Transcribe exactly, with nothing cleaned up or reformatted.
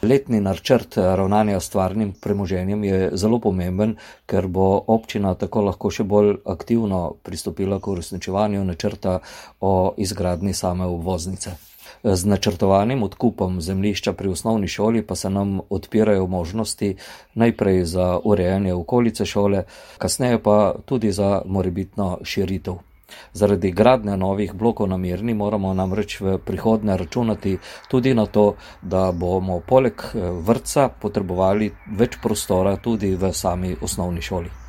Letni načrt ravnanja s stvarnim premoženjem je zelo pomemben, ker bo občina tako lahko še bolj aktivno pristopila k uresničevanju načrta o izgradnji same obvoznice. Z načrtovanim odkupom zemljišča pri osnovni šoli pa se nam odpirajo možnosti najprej za urejanje okolice šole, kasneje pa tudi za morebitno širitev. Zaradi gradnje novih blokov na Mirni moramo namreč v prihodnje računati tudi na to, da bomo poleg vrtca potrebovali več prostora tudi v sami osnovni šoli.